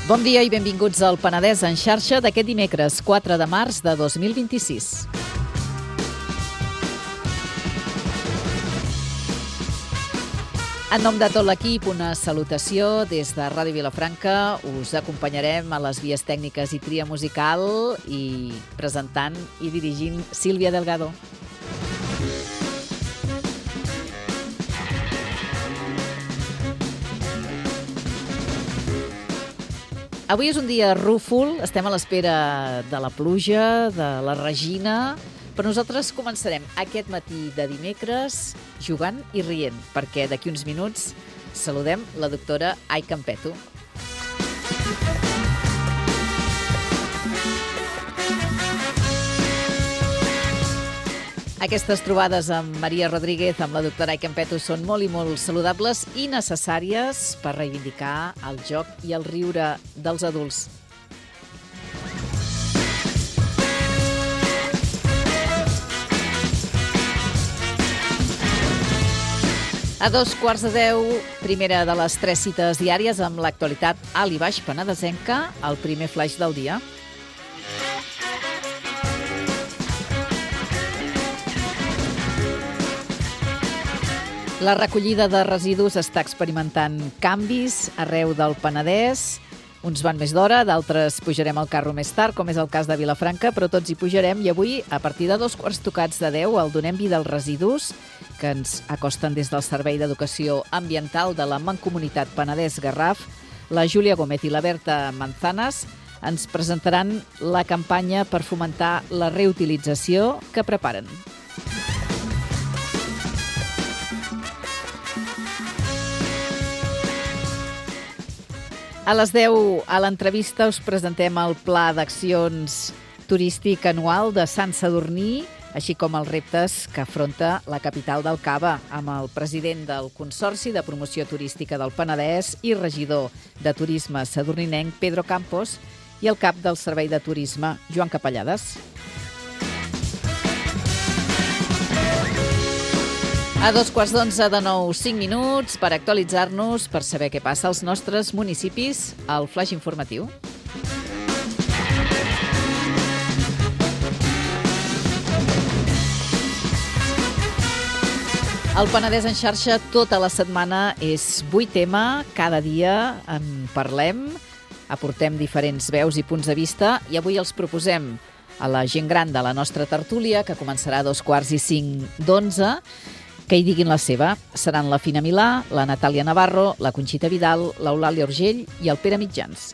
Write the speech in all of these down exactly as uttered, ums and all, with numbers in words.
Bon dia i benvinguts al Penedès en xarxa d'aquest dimecres, quatre de març de dos mil vint-i-sis. En nom de tot l'equip, una salutació des de Ràdio Vilafranca. Us acompanyarem a les vies tècniques i tria musical i presentant i dirigint Sílvia Delgado. Avui és un dia rúfol, estem a l'espera de la pluja, de la Regina, però nosaltres començarem aquest matí de dimecres jugant i rient, perquè d'aquí uns minuts saludem la doctora Ai Campeto. Aquestes trobades amb Maria Rodríguez, amb la doctora Ai Campeto, són molt i molt saludables i necessàries per reivindicar el joc i el riure dels adults. A dos quarts de deu, primera de les tres cites diàries amb l'actualitat alt i baix penedesenca, el primer flaix del dia. La recollida de residus està experimentant canvis arreu del Penedès. Uns van més d'hora, d'altres pujarem al carro més tard, com és el cas de Vilafranca, però tots hi pujarem i avui, a partir de dos quarts tocats de deu, el Donem Vida als Residus, que ens acosten des del Servei d'Educació Ambiental de la Mancomunitat Penedès-Garraf, la Júlia Gómez i la Berta Manzanas ens presentaran la campanya per fomentar la reutilització que preparen. A les deu, a l'entrevista, us presentem el Pla d'Accions Turístic Anual de Sant Sadurní, així com els reptes que afronta la capital del Cava, amb el president del Consorci de Promoció Turística del Penedès i regidor de Turisme sadurninenc, Pedro Campos, i el cap del Servei de Turisme, Joan Capellades. A dos quarts d'onze de nou, cinc minuts per actualitzar-nos, per saber què passa als nostres municipis, al flaix informatiu. El Penedès en xarxa tota la setmana és vuit tema, cada dia en parlem, aportem diferents veus i punts de vista i avui els proposem a la gent gran de la nostra tertúlia, que començarà a dos quarts i cinc d'onze, que hi diguin la seva. Seran la Fina Milà, la Natàlia Navarro, la Conxita Vidal, l'Eulàlia Urgell i el Pere Mitjans.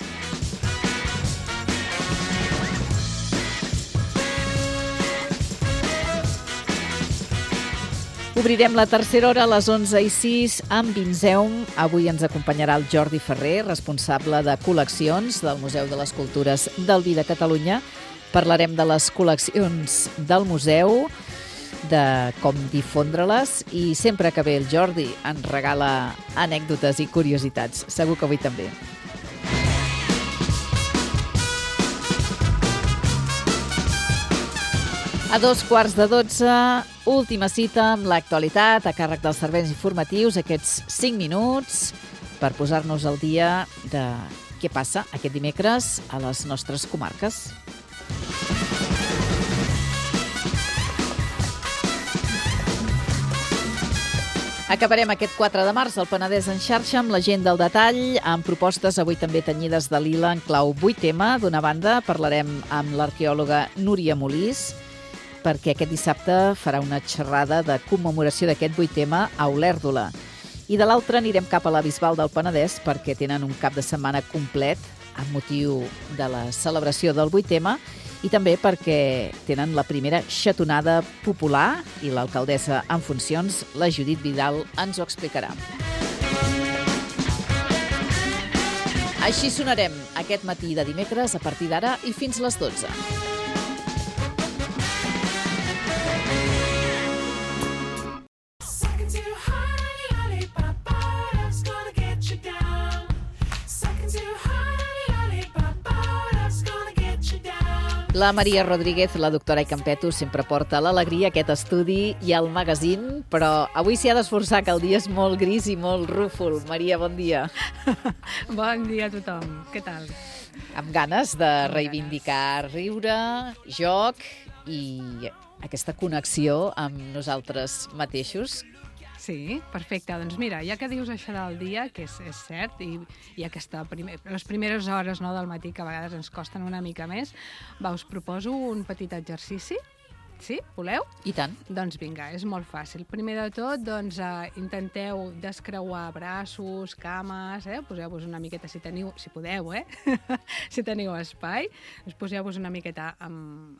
Obrirem la tercera hora a les onze i sis amb Vinzeum. Avui ens acompanyarà el Jordi Ferrer, responsable de col·leccions del Museu de les Cultures del Vi de Catalunya. Parlarem de les col·leccions del museu, de com difondre-les i sempre que ve el Jordi ens regala anècdotes i curiositats. Segur que avui també. A dos quarts de dotze, última cita amb l'actualitat a càrrec dels serveis informatius, aquests cinc minuts per posar-nos al dia de què passa aquest dimecres a les nostres comarques. Acabarem aquest quatre de març al Penedès en xarxa amb la gent del detall, amb propostes avui també tenyides de lila en clau vuit tema. D'una banda, parlarem amb l'arqueòloga Núria Molís, perquè aquest dissabte farà una xerrada de commemoració d'aquest vuit tema a Olèrdola. I de l'altra anirem cap a la Bisbal del Penedès, perquè tenen un cap de setmana complet amb motiu de la celebració del vuit tema, i també perquè tenen la primera xatonada popular i l'alcaldessa en funcions, la Judit Vidal, ens ho explicarà. Així sonarem aquest matí de dimecres a partir d'ara i fins les dotze. Down. La Maria Rodríguez, la doctora Icampetto, sempre porta l'alegria a aquest estudi i al magazín, però avui s'hi ha d'esforçar, que el dia és molt gris i molt rúfol. Maria, bon dia. Bon dia a tothom. Què tal? Amb ganes de reivindicar riure, joc i aquesta connexió amb nosaltres mateixos. Sí, perfecte. Doncs mira, ja que dius això del dia, que és, és cert, i, i aquesta primer, les primeres hores, no, del matí, que a vegades ens costen una mica més, va, us proposo un petit exercici. Sí? Voleu? I tant. Doncs vinga, és molt fàcil. Primer de tot, doncs, eh, intenteu descreuar braços, cames, eh? Poseu-vos una miqueta, si teniu, si podeu, eh? si teniu espai, doncs poseu-vos una miqueta en,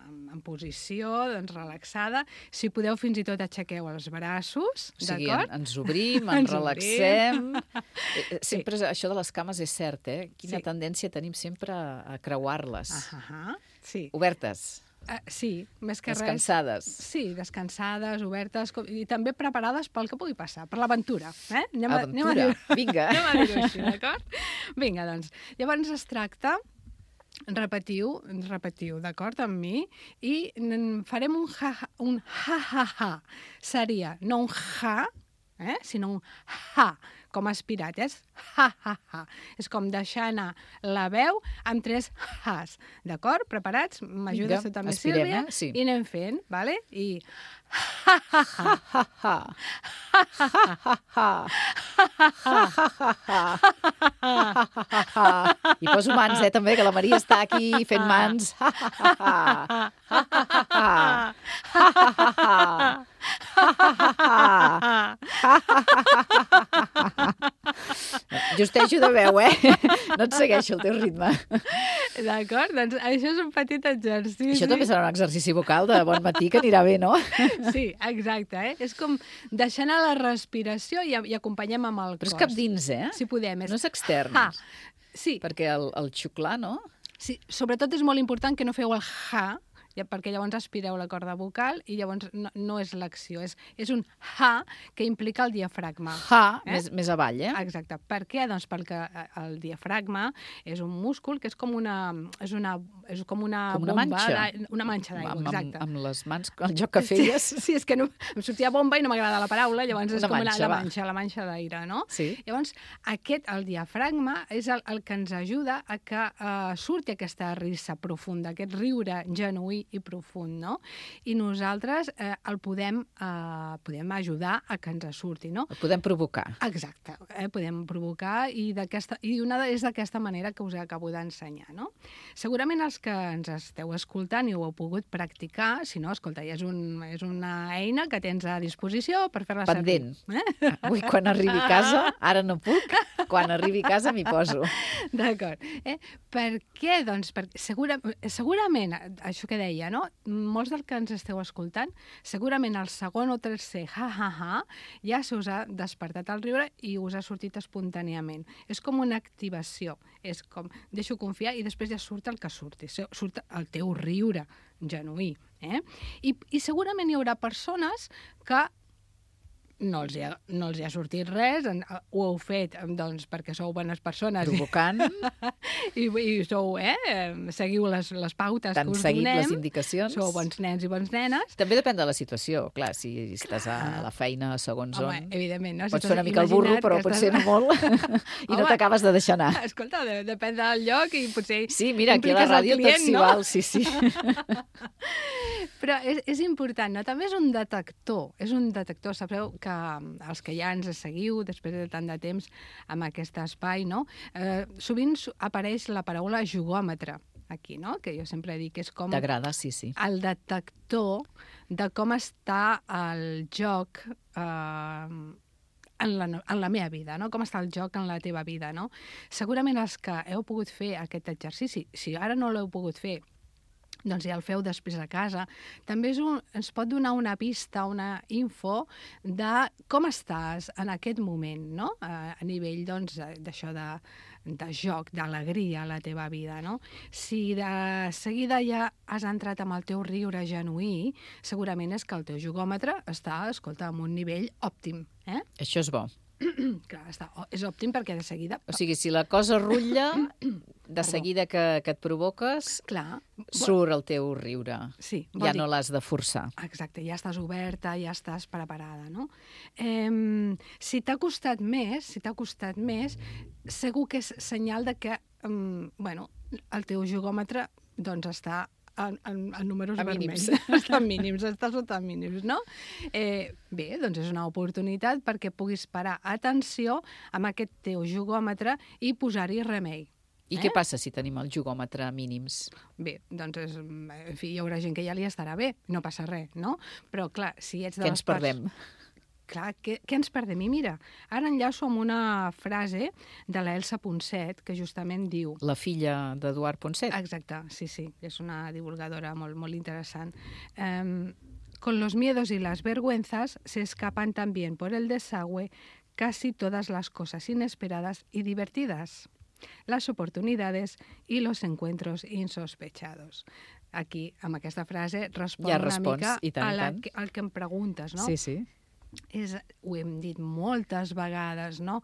en, en posició, doncs, relaxada. Si podeu, fins i tot aixequeu els braços, o sigui, d'acord? En, ens obrim, ens, ens relaxem. Obrim. Sempre sí. Això de les cames és cert, eh? Quina sí. tendència tenim sempre a creuar-les. Ah, ah, sí. Obertes. Uh, sí, més que descansades. res... Sí, descansades, obertes, com, i també preparades pel que pugui passar, per l'aventura. Eh? Anem a, aventura, anem a dir, vinga. Anem a dir-ho així, d'acord? Vinga, doncs, llavors es tracta, repetiu, repetiu, d'acord, amb mi, i farem un ha-ha, un ha-ha-ha. Seria no un ha, eh? sinó un ha, com aspirat, és ha-ha-ha. És com deixar anar la veu amb tres has, d'acord? Preparats? M'ajudes tu també, Sílvia? Eh? Sí. I anem fent, vale? I ha-ha-ha. Ha-ha-ha. Ha-ha-ha. I poso mans, eh, també, que la Maria està aquí fent mans. Ha-ha-ha. Ha-ha-ha. Ha-ha-ha. Justejo de veu, eh? No et segueixo el teu ritme. D'acord, doncs això és un petit exercici. Això també serà un exercici vocal de bon matí que anirà bé, no? Sí, exacte, eh? És com deixar anar la respiració i, i acompanyem amb el cos. Però és cap dins, eh? Si podem. És... No és extern. Ha. Sí. Perquè el, el xuclar, no? Sí, sobretot és molt important que no feu el ha, ja, perquè llavors aspireu la corda vocal i llavors no, no és l'acció, és, és un ha que implica el diafragma. Ha, eh? més, més avall, eh? Exacte. Per què? Doncs perquè el diafragma és un múscul que és com una, és una, és com una, com una bomba, manxa. Una manxa d'aigua, exacte. Amb, amb les mans, el joc que feies. Sí, sí, és que no, em sortia bomba i no m'agrada la paraula, llavors és una com manxa, la, la manxa, la manxa d'aire, no? Sí. Llavors, aquest, el diafragma, és el, el que ens ajuda a que uh, surti aquesta risa profunda, aquest riure genuí i profund, no? I nosaltres eh, el podem, eh, podem ajudar a que ens surti, no? El podem provocar. Exacte, eh? podem provocar i, i una és d'aquesta manera que us acabo d'ensenyar, no? Segurament els que ens esteu escoltant i ho heu pogut practicar, si no, escolta, és, un, és una eina que tens a disposició per fer-la servir. Pendent. Eh? Avui, quan arribi a casa, ara no puc, quan arribi a casa m'hi poso. D'acord. Eh? Per què? Doncs per, segura, segurament, això que deia, no? Molts del que ens esteu escoltant, segurament el segon o tercer ha-ha-ha ja se us ha despertat el riure i us ha sortit espontàniament. És com una activació. És com, deixo confiar i després ja surt el que surti. Surt el teu riure genuí. Eh? I, I segurament hi haurà persones que no els, ha, no els ha sortit res, ho heu fet doncs, perquè sou bones persones. Provocant. I, i sou, eh? Seguiu les, les pautes T'han que us seguit donem. les indicacions. Sou bons nens i bons nenes. També depèn de la situació, clar, si estàs a la feina segons Home, on. evidentment, no? Pots si fer una mica el burro, però potser estàs... no molt, i Home, no t'acabes de deixar anar. Escolta, de, depèn del lloc i potser... Sí, mira, aquí a la ràdio client, tot s'hi no? val, sí, sí. Però és, és important, no? També és un detector, és un detector. Sabeu que els que ja ens seguiu després de tant de temps amb aquest espai, no? Eh, sovint apareix la paraula jugòmetre aquí, no? Que jo sempre dic que és com... T'agrada, sí, sí. El detector de com està el joc eh, en la, en la meva vida, no? Com està el joc en la teva vida, no? Segurament els que heu pogut fer aquest exercici, si ara no l'heu pogut fer, doncs ja el feu després a casa. També és un, ens pot donar una pista, una info de com estàs en aquest moment, no? A, a nivell, doncs, d'això de, de joc, d'alegria a la teva vida, no? Si de seguida ja has entrat amb el teu riure genuí, segurament és que el teu jugòmetre està, escolta, en un nivell òptim, eh? Això és bo. Clar, està, és òptim perquè de seguida... O sigui, si la cosa rutlla, de seguida que, que et provoques, Clar. surt el teu riure. Sí, ja no l'has de forçar. Exacte, ja estàs oberta, ja estàs preparada, no? Eh, si t'ha costat més, si t'ha costat més, segur que és senyal de que, um, bueno, el teu jugòmetre, doncs, està en, en, en números a vermells. mínims. Està en mínims, està sota mínims, no? Eh, bé, doncs és una oportunitat perquè puguis parar atenció amb aquest teu jugòmetre i posar-hi remei. I eh? què passa si tenim el jugòmetre a mínims? Bé, doncs, és, en fi, hi haurà gent que ja li estarà bé, no passa res, no? Però, clar, si ets de Què les ens perdem? Parts... Clar, què, què ens perdem? I mira, ara enllaço amb una frase de l'Elsa Ponset, que justament diu... La filla d'Eduard Ponset. Exacte, sí, sí, és una divulgadora molt, molt interessant. Um, con los miedos y las vergüenzas se escapan también por el desagüe casi todas las cosas inesperadas y divertidas, las oportunidades y los encuentros insospechados. Aquí, amb aquesta frase, respon ja una respons, mica i tant, a la, tant. al que em preguntes, no? Sí, sí. És, ho hem dit moltes vegades, no?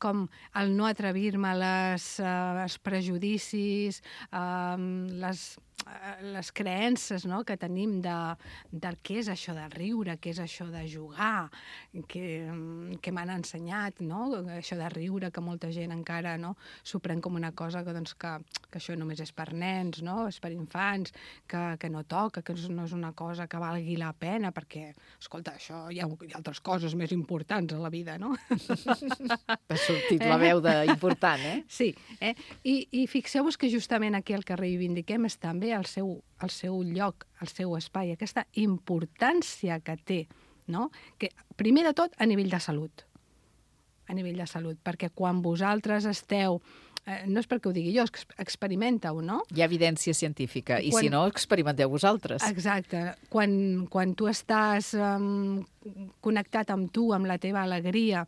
Com el no atrevir-me a les, uh, els prejudicis, uh, les, uh, les creences, no?, que tenim de, de què és això de riure, què és això de jugar, que, que m'han ensenyat, no?, això de riure, que molta gent encara, no?, s'ho pren com una cosa que, doncs, que, que això només és per nens, no?, és per infants, que, que no toca, que no és una cosa que valgui la pena, perquè, escolta, això hi ha, hi ha altres coses més importants a la vida, no? Ha sortit la veu d'important, eh? Sí, eh? I, i fixeu-vos que justament aquí el que reivindiquem és també el seu, el seu lloc, el seu espai, aquesta importància que té, no? Que, primer de tot, a nivell de salut. A nivell de salut, perquè quan vosaltres esteu... Eh, no és perquè ho digui jo, és que experimenta-ho, no? Hi ha evidència científica, i quan... si no, experimenteu vosaltres. Exacte. Quan, quan tu estàs um, connectat amb tu, amb la teva alegria,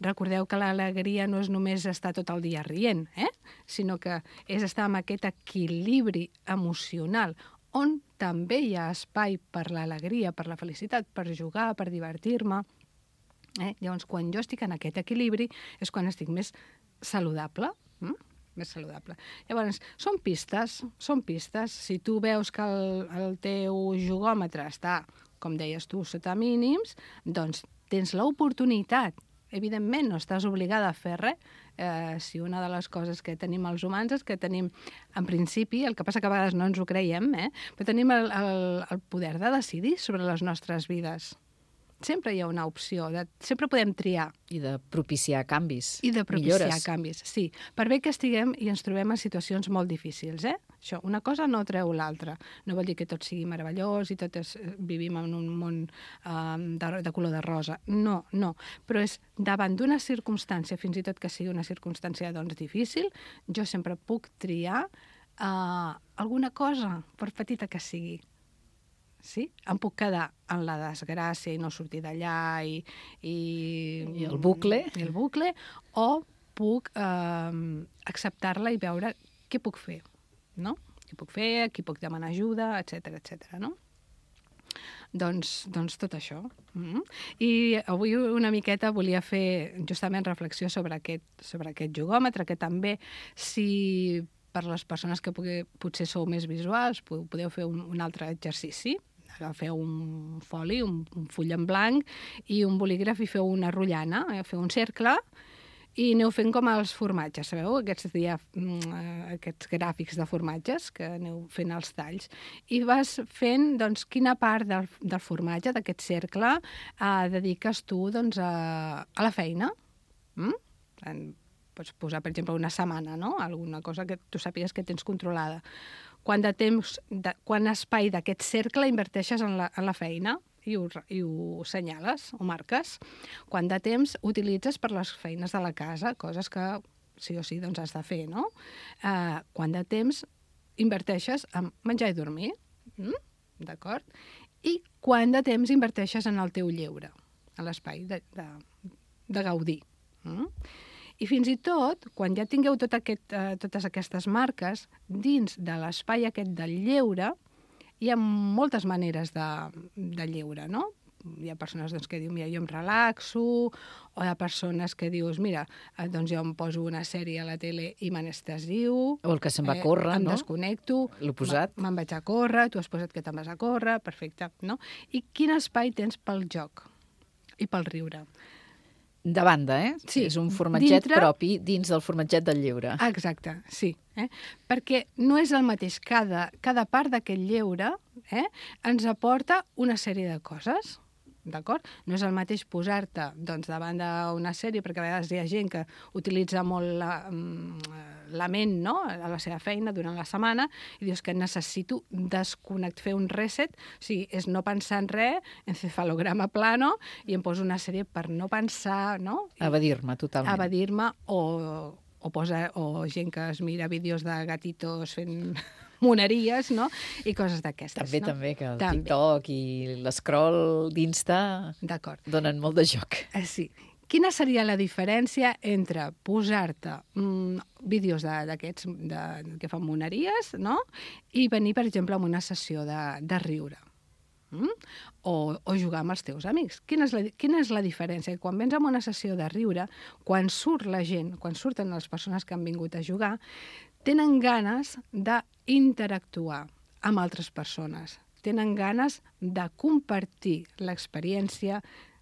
recordeu que l'alegria no és només estar tot el dia rient, eh? Sinó que és estar amb aquest equilibri emocional, on també hi ha espai per l'alegria, per la felicitat, per jugar, per divertir-me. Eh? Llavors, quan jo estic en aquest equilibri, és quan estic més saludable, mm? més saludable. Llavors, són pistes, són pistes. Si tu veus que el, el teu jugòmetre està, com deies tu, sota mínims, doncs tens l'oportunitat. Evidentment, no estàs obligada a fer res. Eh, si una de les coses que tenim els humans és que tenim, en principi, el que passa que a vegades no ens ho creiem, eh? però tenim el, el, el poder de decidir sobre les nostres vides. Sempre hi ha una opció, de, sempre podem triar. I de propiciar canvis, I de propiciar millores. canvis, sí. Per bé que estiguem i ens trobem en situacions molt difícils, eh? Això, una cosa no treu l'altra. No vol dir que tot sigui meravellós i tot és, vivim en un món um, de, de color de rosa. No, no. Però és davant d'una circumstància, fins i tot que sigui una circumstància doncs, difícil, jo sempre puc triar uh, alguna cosa, per petita que sigui. Sí? Em puc quedar en la desgràcia i no sortir d'allà i, i... I el bucle. I el bucle, o puc eh, acceptar-la i veure què puc fer, no? Què puc fer, a qui puc demanar ajuda, etcètera, etcètera, no? Doncs, doncs tot això. Mm-hmm. I avui una miqueta volia fer justament reflexió sobre aquest, sobre aquest jugòmetre, que també, si per les persones que pugui, potser sou més visuals, podeu fer un, un altre exercici. Agafeu un foli, un, un full en blanc i un bolígraf i feu una rotllana, eh? Feu un cercle i aneu fent com els formatges, sabeu? Aquests, dia, aquests gràfics de formatges que aneu fent els talls. I vas fent doncs, quina part del, del formatge, d'aquest cercle, eh, dediques tu doncs, a, a la feina. Mm? En, pots posar, per exemple, una setmana, no? Alguna cosa que tu sàpigues que tens controlada. Quant de temps, de, quant espai d'aquest cercle inverteixes en la, en la feina i ho, i ho senyales, ho marques. Quant de temps utilitzes per les feines de la casa, coses que sí o sí doncs, has de fer, no? Uh, quant de temps inverteixes en menjar i dormir, mm? D'acord? I quant de temps inverteixes en el teu lleure, en l'espai de, de, de gaudir. Mm? I fins i tot, quan ja tingueu tot aquest, eh, totes aquestes marques, dins de l'espai aquest del lleure, hi ha moltes maneres de, de lleure, no? hi ha persones doncs, que diuen, mira, jo em relaxo, o hi ha persones que dius, mira, eh, doncs jo em poso una sèrie a la tele i m'anestesio. O el que se'n va a córrer, eh, em no? desconnecto. L'oposat. Me'n vaig a córrer, tu has posat que te'n vas a córrer, perfecte, no? I quin espai tens pel joc i pel riure? De banda, eh? Sí, és un formatget dintre... propi dins del formatget del lleure. Exacte, sí. Eh? Perquè no és el mateix. Cada, cada part d'aquest lleure eh, ens aporta una sèrie de coses. D'acord? No és el mateix posar-te doncs, davant d'una sèrie, perquè a vegades hi ha gent que utilitza molt la, la ment, no?, a la seva feina durant la setmana, i dius que necessito desconnect, fer un reset, o sigui, és no pensar en res, encefalograma plano, i em poso una sèrie per no pensar, no? Evadir-me totalment. Evadir-me, o, o, posa, o gent que es mira vídeos de gatitos fent moneries, no? I coses d'aquestes. També, no? també, que el també. TikTok i l'escroll d'Insta donen molt de joc. Eh, sí. Quina seria la diferència entre posar-te mm, vídeos d'aquests que fan moneries, no?, i venir, per exemple, a una sessió de, de riure? Mm? O, o jugar amb els teus amics. Quina és, la, quina és la diferència? Quan vens a una sessió de riure, quan surt la gent, quan surten les persones que han vingut a jugar, tenen ganes d'interactuar amb altres persones, tenen ganes de compartir l'experiència,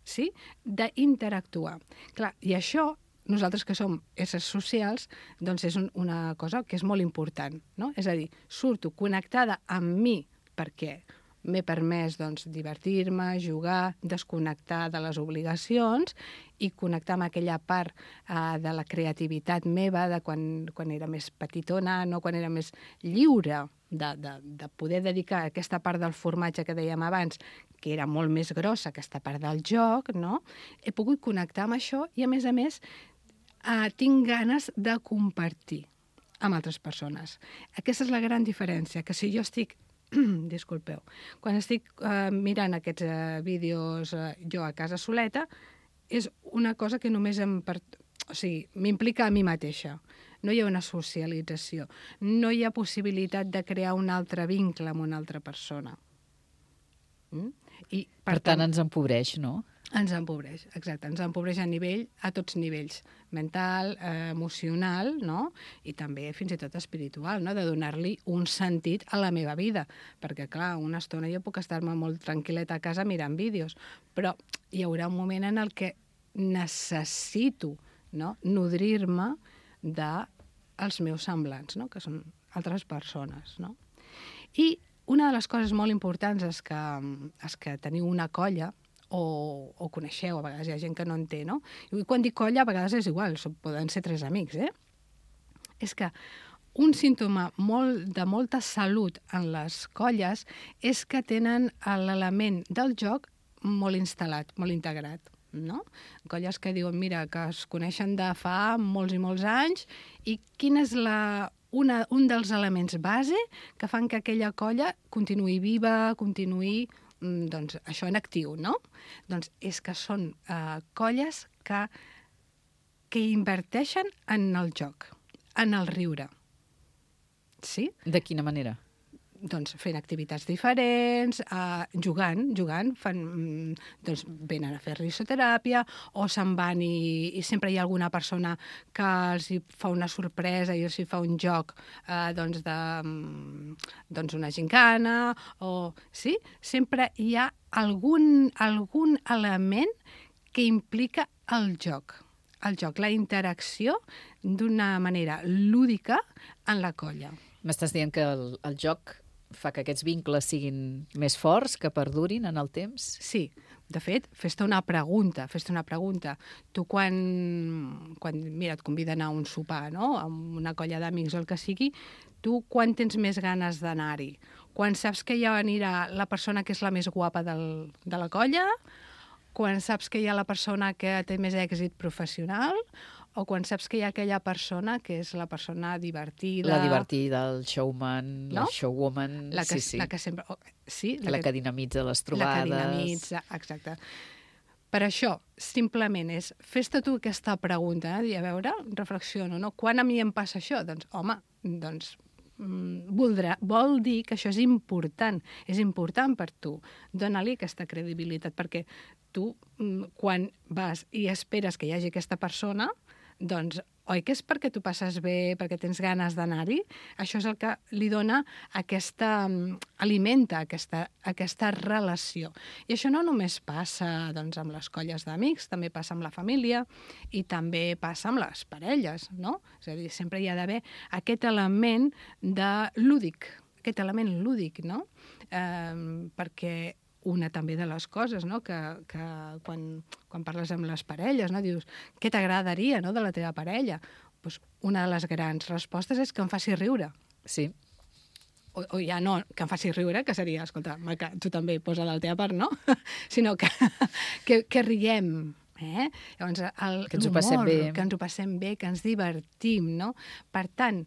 sí? D'interactuar. Clar, i això, nosaltres que som éssers socials, doncs és un, una cosa que és molt important, no? És a dir, surto connectada amb mi perquè m'he permès doncs, divertir-me, jugar, desconnectar de les obligacions i connectar amb aquella part eh, de la creativitat meva de quan, quan era més petitona, no? Quan era més lliure de, de, de poder dedicar aquesta part del formatge que dèiem abans, que era molt més grossa, aquesta part del joc, no? He pogut connectar amb això i, a més a més, eh, tinc ganes de compartir amb altres persones. Aquesta és la gran diferència, que si jo estic disculpeu, quan estic eh, mirant aquests eh, vídeos eh, jo a casa soleta, és una cosa que només em per... o sigui, m'implica a mi mateixa. No hi ha una socialització, no hi ha possibilitat de crear un altre vincle amb una altra persona. Mm? I, per, per tant, tant, ens empobreix, no? Ens empobreix, exacte. Ens empobreix a nivell, a tots nivells, mental, eh, emocional, no? I també fins i tot espiritual, no? De donar-li un sentit a la meva vida. Perquè, clar, una estona jo puc estar-me molt tranquil·leta a casa mirant vídeos, però hi haurà un moment en el que necessito, no?, nodrir-me dels meus semblants, no?, que són altres persones, no? I una de les coses molt importants és que, és que teniu una colla, o, o coneixeu, a vegades hi ha gent que no en té, no? I quan dic colla, a vegades és igual, poden ser tres amics, eh? És que un símptoma molt, de molta salut en les colles és que tenen l'element del joc molt instal·lat, molt integrat, no? Colles que diuen, mira, que es coneixen de fa molts i molts anys, i quin és la, una, un dels elements base que fan que aquella colla continuï viva, continuï doncs això en actiu, no? Doncs és que són eh, colles que, que inverteixen en el joc, en el riure. Sí? De quina manera? Doncs fent activitats diferents, eh, jugant, jugant, fan, doncs venen a fer risoteràpia, o se'n van i, i sempre hi ha alguna persona que els hi fa una sorpresa i els hi fa un joc eh, doncs de doncs una gincana, o sí, sempre hi ha algun, algun element que implica el joc. El joc, la interacció d'una manera lúdica en la colla. M'estàs dient que el, el joc fa que aquests vincles siguin més forts, que perdurin en el temps? Sí. De fet, fes-te una pregunta, fes-te una pregunta. Tu quan, quan, mira, et conviden a un sopar, no?, amb una colla d'amics o el que sigui, tu quan tens més ganes d'anar-hi? Quan saps que ja anirà la persona que és la més guapa del, de la colla? Quan saps que hi ha la persona que té més èxit professional? O quan saps que hi ha aquella persona que és la persona divertida... La divertida, el showman, no? La showwoman... La que, sí, sí. La que sempre... Oh, sí, la, la que, que dinamitza les trobades... La que dinamitza, exacte. Per això, simplement és... Fes-te tu aquesta pregunta, eh? I a veure, reflexiono, no? Quan a mi em passa això? Doncs, home, doncs voldrà, vol dir que això és important, és important per tu. Dóna-li aquesta credibilitat, perquè tu, quan vas i esperes que hi hagi aquesta persona, doncs, oi que és perquè tu passes bé, perquè tens ganes d'anar-hi? Això és el que li dona aquesta... alimenta aquesta, aquesta relació. I això no només passa doncs, amb les colles d'amics, també passa amb la família i també passa amb les parelles, no? És a dir, sempre hi ha d'haver aquest element de lúdic, aquest element lúdic, no? Eh, perquè una també de les coses, no? que, que quan, quan parles amb les parelles, no? Dius, què t'agradaria, no? de la teva parella? Pues una de les grans respostes és que em faci riure. Sí. O, o ja no, que em faci riure, que seria, escolta, que tu també posa de la teva part, no? Sinó que, que, que riem, eh? Llavors, el, que ens ho passem bé. Que ens ho passem bé, que ens divertim, no? Per tant,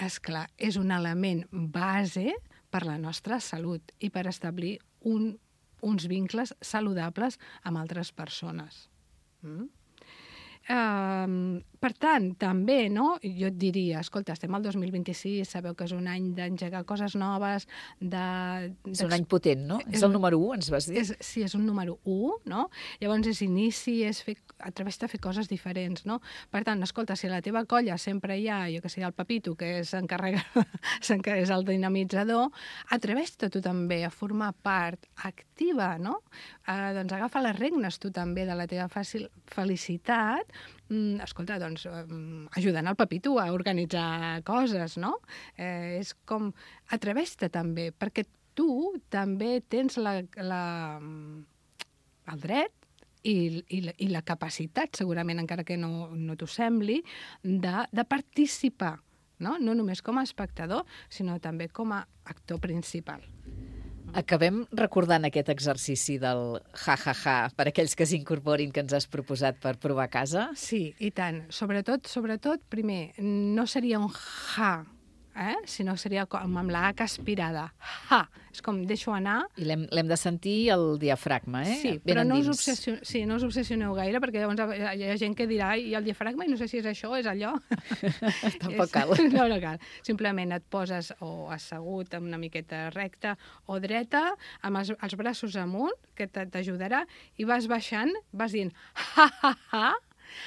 esclar, és un element base per la nostra salut i per establir un, uns vincles saludables amb altres persones. Mm? Uh, per tant, també, no? Jo et diria, escolta, estem al dos mil vint-i-sis, sabeu que és un any d'engegar coses noves, de... És un any potent, no? És, és el número u, ens vas dir? És, sí, és un número u, no? Llavors és inici, és fer, atreveix-te a fer coses diferents, no? Per tant, escolta, si a la teva colla sempre hi ha, jo que sé, el Pepito, que s'encarrega, és el dinamitzador, atreveix-te tu també a formar part activa, no? Uh, doncs agafa les regnes tu també de la teva fàcil felicitat. Mm, escolta, doncs, um, ajudant el Pepito a organitzar coses, no? Eh, és com, atreveix-te també, perquè tu també tens la, la, el dret i, i, la, i la capacitat, segurament, encara que no, no t'ho sembli, de, de participar, no? No només com a espectador, sinó també com a actor principal. Acabem recordant aquest exercici del ha-ha-ha per aquells que s'incorporin que ens has proposat per provar a casa? Sí, i tant. Sobretot, sobretot, primer, no seria un ha, eh? sinó seria com amb la H aspirada. Ha! És com deixo anar... I l'hem de sentir el diafragma, eh? Sí, ben però no us, endins. obsession... sí, no us obsessioneu gaire, perquè llavors hi ha gent que dirà i el diafragma, i no sé si és això o és allò. Tampoc és... cal. No, no cal. Simplement et poses o assegut amb una miqueta recta o dreta, amb els, els braços amunt, que t'ajudarà, i vas baixant, vas dient ha-ha-ha,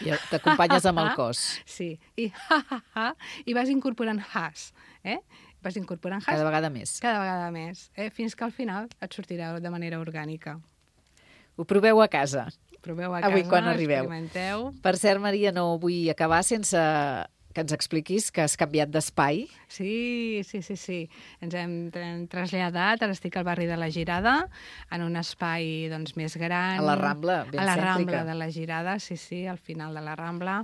i t'acompanyes amb el cos. Sí, i ha-ha-ha, i vas incorporant has, eh? Vas incorporant has. Cada vegada més. Cada vegada més, eh? Fins que al final et sortirà de manera orgànica. Ho proveu a casa. Proveu a Avui casa, quan arribeu. experimenteu. Per cert, Maria, no vull acabar sense que ens expliquis que has canviat d'espai. Sí, sí, sí, sí. Ens hem traslladat, ara estic al barri de la Girada, en un espai doncs, més gran. A la Rambla, ben cèntrica. A la Rambla de la Girada, sí, sí, al final de la Rambla.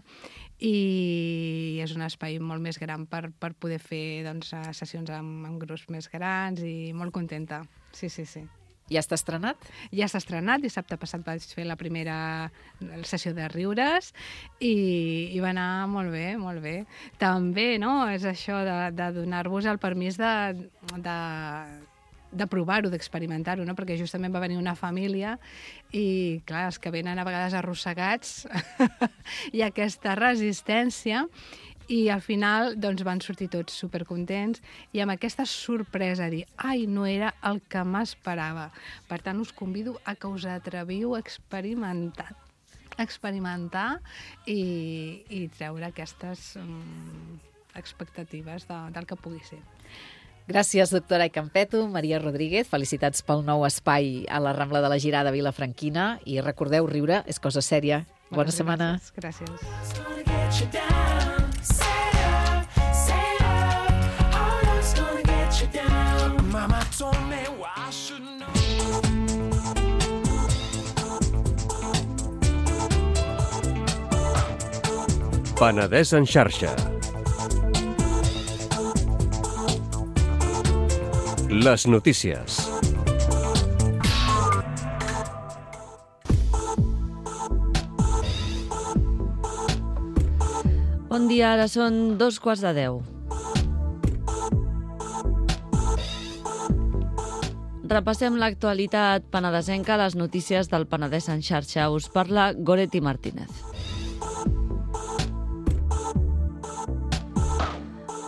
I és un espai molt més gran per, per poder fer doncs, sessions amb, amb grups més grans i molt contenta. Sí, sí, sí. Ja està estrenat? Ja està estrenat. Dissabte passat vaig fer la primera sessió de riures i, i va anar molt bé, molt bé. També, no?, és això de, de donar-vos el permís de, de, de provar-ho, d'experimentar-ho, no?, perquè justament va venir una família i, clar, els que venen a vegades arrossegats i aquesta resistència, i al final doncs, van sortir tots supercontents i amb aquesta sorpresa dir ai, no era el que m'esperava. Per tant, us convido a que us atreviu a experimentar, experimentar i, i treure aquestes um, expectatives de, del que pugui ser. Gràcies, doctora Icampetto. Maria Rodríguez, felicitats pel nou espai a la Rambla de la Girada Vilafranquina i recordeu, riure és cosa sèria. Bona Moltes setmana. Gràcies. gràcies. Mama told me I should know. Penedès en xarxa. Les notícies. Bon dia, ara són dos quarts de deu. Repassem l'actualitat penedesenca, les notícies del Penedès en xarxa. Us parla Goretti Martínez.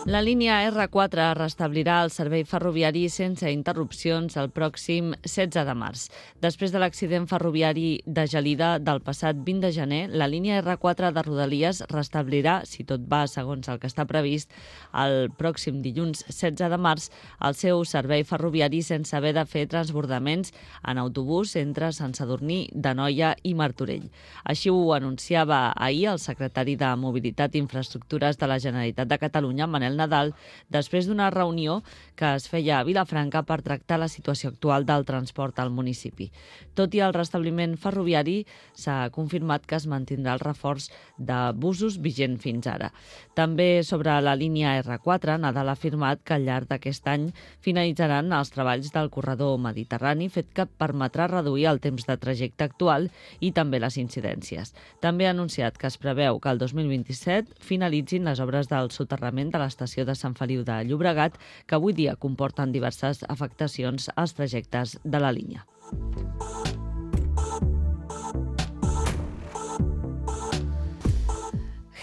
La línia erre quatre restablirà el servei ferroviari sense interrupcions el pròxim setze de març. Després de l'accident ferroviari de Gelida del passat vint de gener, la línia erre quatre de Rodalies restablirà, si tot va segons el que està previst, el pròxim dilluns setze de març el seu servei ferroviari sense haver de fer transbordaments en autobús entre Sant Sadurní d'Anoia i Martorell. Així ho anunciava ahir el secretari de Mobilitat i Infraestructures de la Generalitat de Catalunya, Manel Nadal, després d'una reunió que es feia a Vilafranca per tractar la situació actual del transport al municipi. Tot i el restabliment ferroviari, s'ha confirmat que es mantindrà el reforç de busos vigent fins ara. També sobre la línia erre quatre, Nadal ha afirmat que al llarg d'aquest any finalitzaran els treballs del corredor mediterrani, fet que permetrà reduir el temps de trajecte actual i també les incidències. També ha anunciat que es preveu que el dos mil vint-i-set finalitzin les obres del soterrament de l'estació de Sant Feliu de Llobregat, que avui dia comporten diverses afectacions als trajectes de la línia.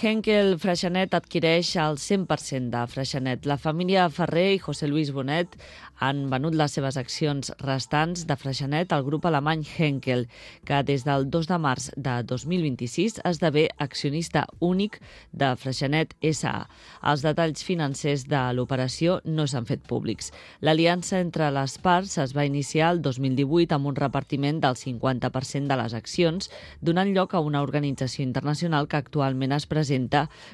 Henkel Freixenet adquireix el cent per cent de Freixenet. La família Ferrer i José Luis Bonet han venut les seves accions restants de Freixenet al grup alemany Henkel, que des del dos de març de dos mil vint-i-sis esdevé accionista únic de Freixenet essa a. Els detalls financers de l'operació no s'han fet públics. L'aliança entre les parts es va iniciar el dos mil divuit amb un repartiment del cinquanta per cent de les accions, donant lloc a una organització internacional que actualment es presenta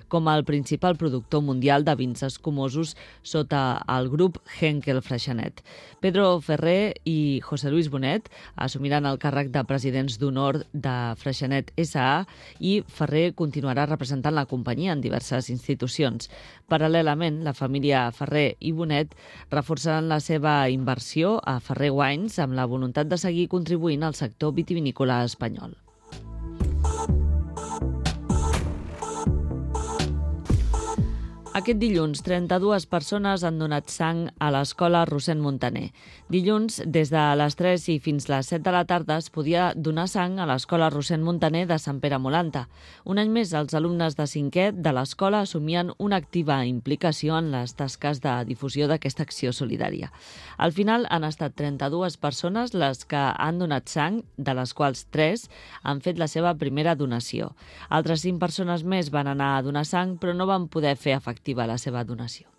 com el principal productor mundial de vins escumosos sota el grup Henkel Freixenet. Pedro Ferrer i José Luis Bonet assumiran el càrrec de presidents d'honor de Freixenet essa a i Ferrer continuarà representant la companyia en diverses institucions. Paral·lelament, la família Ferrer i Bonet reforçaran la seva inversió a Ferrer Wines amb la voluntat de seguir contribuint al sector vitivinícola espanyol. Aquest dilluns, trenta-dues persones han donat sang a l'escola Rossend Montaner. Dilluns, des de les tres i fins les set de la tarda, es podia donar sang a l'escola Rossend Montaner de Sant Pere Molanta. Un any més, els alumnes de cinquè de l'escola assumien una activa implicació en les tasques de difusió d'aquesta acció solidària. Al final, han estat trenta-dues persones les que han donat sang, de les quals tres han fet la seva primera donació. Altres cinc persones més van anar a donar sang, però no van poder fer efectiva la seva donació.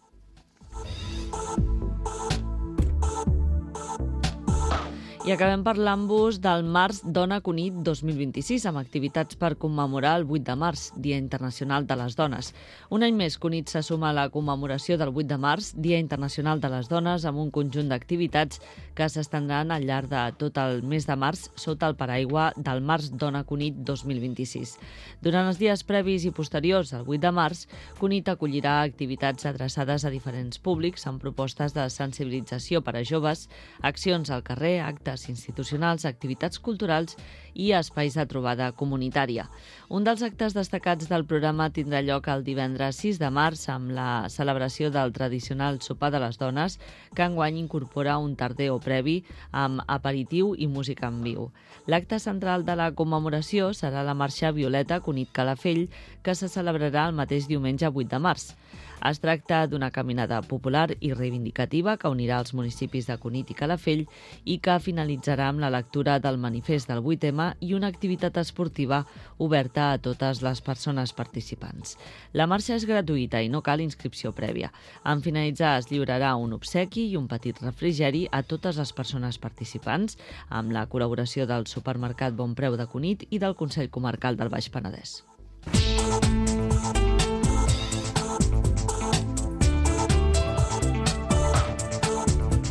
I acabem parlant-vos del Març Dona Cunit dos mil vint-i-sis, amb activitats per commemorar el vuit de març, Dia Internacional de les Dones. Un any més, Cunit se suma a la commemoració del vuit de març, Dia Internacional de les Dones, amb un conjunt d'activitats que s'estendran al llarg de tot el mes de març sota el paraigua del Març Dona Cunit dos mil vint-i-sis. Durant els dies previs i posteriors al vuit de març, Cunit acollirà activitats adreçades a diferents públics amb propostes de sensibilització per a joves, accions al carrer, actes institucionals, activitats culturals i espais de trobada comunitària. Un dels actes destacats del programa tindrà lloc el divendres sis de març amb la celebració del tradicional sopar de les dones, que enguany incorpora un tardeo previ amb aperitiu i música en viu. L'acte central de la commemoració serà la marxa Violeta Cunit Calafell, que se celebrarà el mateix diumenge vuit de març. Es tracta d'una caminada popular i reivindicativa que unirà els municipis de Cunit i Calafell i que finalitzarà amb la lectura del manifest del vuit ema i una activitat esportiva oberta a totes les persones participants. La marxa és gratuïta i no cal inscripció prèvia. En finalitzar es lliurarà un obsequi i un petit refrigeri a totes les persones participants amb la col·laboració del supermercat Bon Preu de Cunit i del Consell Comarcal del Baix Penedès.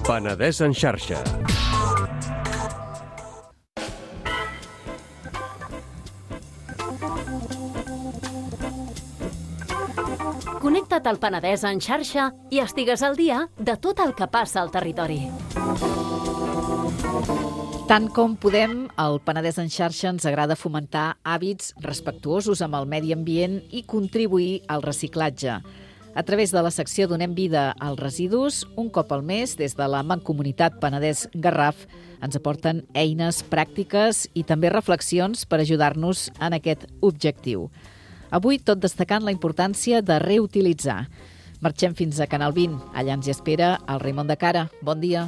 Penedès en xarxa. Connecta't al Penedès en xarxa i estigues al dia de tot el que passa al territori. Tant com podem, al Penedès en xarxa ens agrada fomentar hàbits respectuosos amb el medi ambient i contribuir al reciclatge. A través de la secció Donem vida als residus, un cop al mes, des de la Mancomunitat Penedès Garraf, ens aporten eines pràctiques i també reflexions per ajudar-nos en aquest objectiu. Avui tot destacant la importància de reutilitzar. Marxem fins a Canal vint. Allà ens hi espera el Raimon de Cara. Bon dia.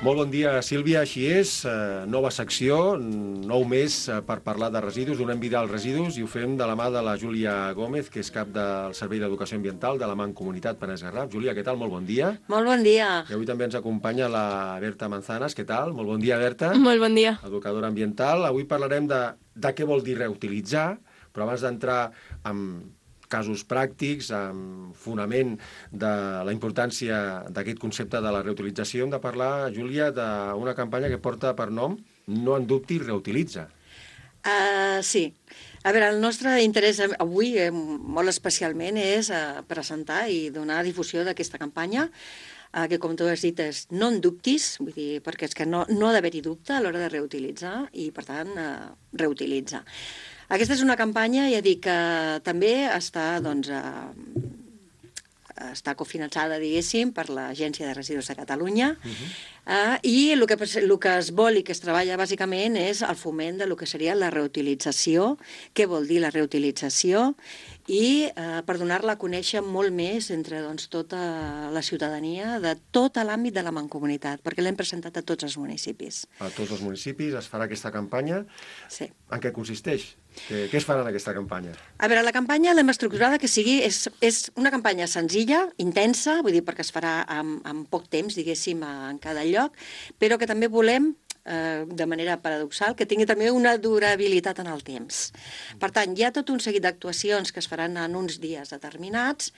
Molt bon dia, Sílvia. Així és, eh, nova secció, nou mes eh, per parlar de residus. Donem vida als residus i ho fem de la mà de la Júlia Gómez, que és cap del Servei d'Educació Ambiental de la Mancomunitat Penedès Garraf. Júlia, què tal? Molt bon dia. Molt bon dia. I avui també ens acompanya la Berta Manzanas. Què tal? Molt bon dia, Berta. Molt bon dia. Educadora ambiental. Avui parlarem de, de què vol dir reutilitzar, però abans d'entrar en casos pràctics, amb fonament de la importància d'aquest concepte de la reutilització, hem de parlar, Júlia, d'una campanya que porta per nom No en dubtis, reutilitza. Uh, sí. A veure, el nostre interès avui, eh, molt especialment, és uh, presentar i donar difusió d'aquesta campanya, uh, que, com tu has dit, és no en dubtis, vull dir, perquè és que no, no ha d'haver-hi dubte a l'hora de reutilitzar i, per tant, uh, reutilitza. Aquesta és una campanya, ja dic, que també està, doncs, eh, està cofinançada, diguéssim, per l'Agència de Residus de Catalunya, uh-huh. eh, i el que, el que es vol i que es treballa bàsicament és el foment de lo que seria la reutilització, què vol dir la reutilització, i eh, per donar-la a conèixer molt més entre doncs, tota la ciutadania de tot l'àmbit de la Mancomunitat, perquè l'hem presentat a tots els municipis. A tots els municipis es farà aquesta campanya. Sí. En què consisteix? Què, què es farà en aquesta campanya? A veure, la campanya l'hem estructurada que sigui... És, és una campanya senzilla, intensa, vull dir, perquè es farà en, en poc temps, diguéssim, en cada lloc, però que també volem, eh, de manera paradoxal, que tingui també una durabilitat en el temps. Per tant, hi ha tot un seguit d'actuacions que es faran en uns dies determinats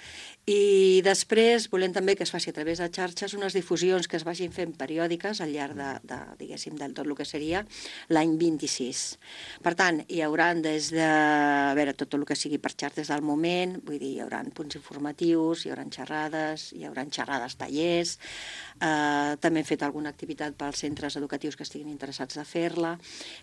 i després volem també que es faci a través de xarxes unes difusions que es vagin fent periòdiques al llarg de, de diguéssim, del tot el que seria l'any vint-i-sis. Per tant, hi haurà des de, a veure, tot el que sigui per xarxes del moment, vull dir, hi haurà punts informatius, hi haurà xerrades, hi haurà xerrades, tallers, eh, també hem fet alguna activitat pels centres educatius que estiguin interessats de fer-la.